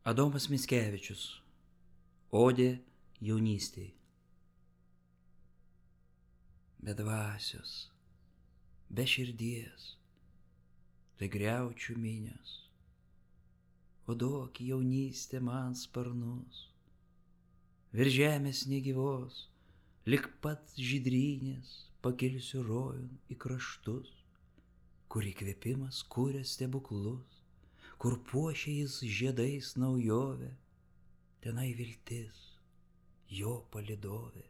Adomas Mickevičius. Odė jaunystėj. Be dvasios, be širdies, tai griaučių minios. O duok jaunystė man sparnus, virš žemės negyvos, lik pat žydrynės pakilsiu rojun į kraštus, kur įkvėpimas kuria stebuklus, kur puošia jis žiedais naujovę, tenai viltis, jo palydovė.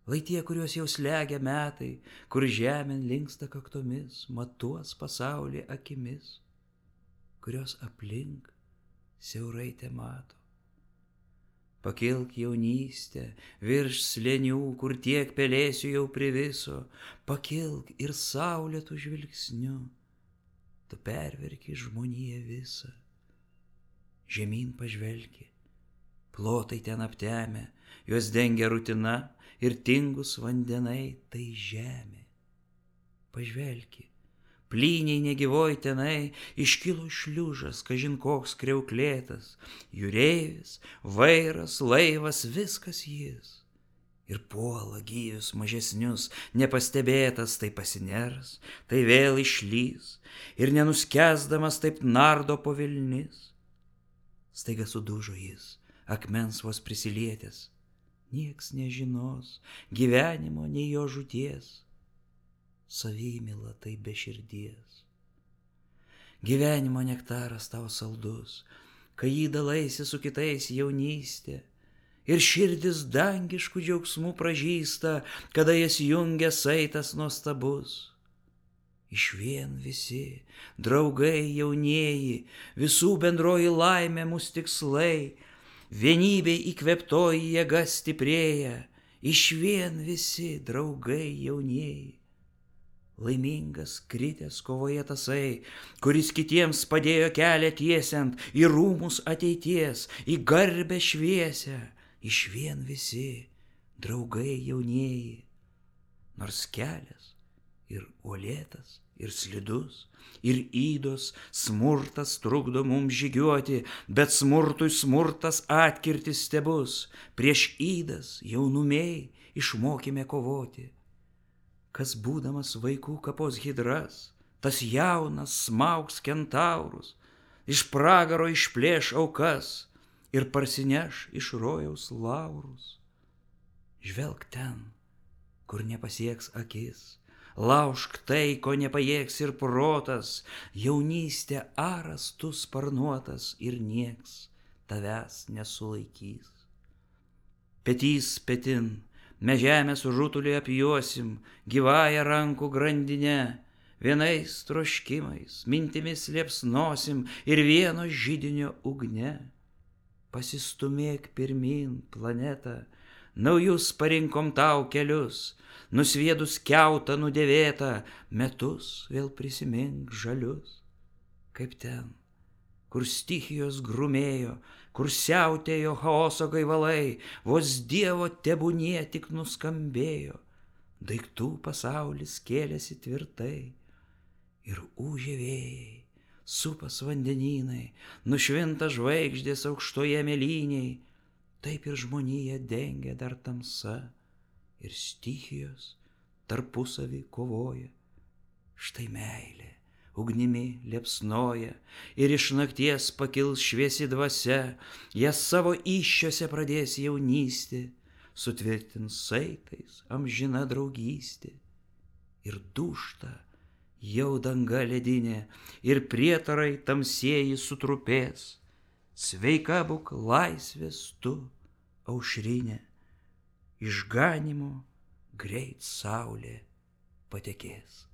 Lai tie, kuriuos jau slegia metai, kur žemėn linksta kaktomis, matuos pasaulį akimis, kurios aplink siaurai te mato. Pakilk jaunystę virš slėnių, kur tiek pelėsių jau priviso, pakilk ir saulėtų žvilgsniu, tu perverki žmoniją visą. Žemyn pažvelki, plotai ten aptemę, juos dengia rutina ir tingus vandenai, tai žemė. Pažvelki, plyniai negyvoj tenai iškilo šliužas, kažin koks kriauklėtas, jūreivis, vairas, laivas, viskas jis. Ir puola gyvius mažesnius, nepastebėtas, tai pasiners, tai vėl išlys, ir nenuskęsdamas taip nardo po vilnis. Staiga sudužo jis, akmens vos prisilietęs, nieks nežinos gyvenimo nei jo žūties, savimyla tai be širdies. Gyvenimo nektaras tau saldus, kai jį dalaisi su kitais jaunystė, ir širdis dangiškų džiaugsmų pražįsta, kada jas jungia saitas nuostabus. Išvien visi, draugai jaunieji, visų bendroji laimė mūs tikslai, vienybei įkvėptoji jėga stiprėja, išvien visi, draugai jaunieji. Laimingas kritęs kovoje tasai, kuris kitiems padėjo kelią tiesiant į rūmus ateities, į garbę šviesią, išvien visi, draugai jaunieji. Nors kelias ir uolėtas, ir slidus, ir ydos smurtas trukdo mums žygiuoti, bet smurtui smurtas atkirtis stebus, prieš ydas jaunumiai išmokime kovoti. Kas būdamas vaikų kapos hidras, tas jaunas smaugs kentaurus, iš pragaro išplėš aukas ir parsineš iš rojaus laurus. Žvelk ten, kur nepasieks akis, laužk tai, ko nepajėgs ir protas, jaunystė aras tu sparnuotas ir nieks tavęs nesulaikys. Petys petin, mes žemės rutulį apjuosim, gyvąją rankų grandinę, vienais troškimais, mintimis liepsnosim ir vieno židinio ugne. Pasistumėk pirmin, planetą, naujus parinkom tau kelius, nusviedus kiautą nudėvėtą, metus vėl prisimink žalius. Kaip ten, kur stichijos grumėjo, kur siautėjo chaoso gaivalai, vos Dievo tebūnie tik nuskambėjo, daiktų pasaulis kėlėsi tvirtai, ir ūžė vėjai, supas vandenynai, nušvinta žvaigždės aukštoje mėlyniai, taip ir žmonija dengia dar tamsa, ir stichijos tarpusavį kovoja. Štai meilė ugnimi liepsnoja, ir iš nakties pakils šviesi dvasia, jas savo įsčiose pradės jaunystė, sutvirtins saitais amžina draugystė. Ir dūžta jau danga ledinė, ir prietarai tamsieji sutrupės, sveika būk laisvės tu, aušrinė, išganymo greit saulė patekės.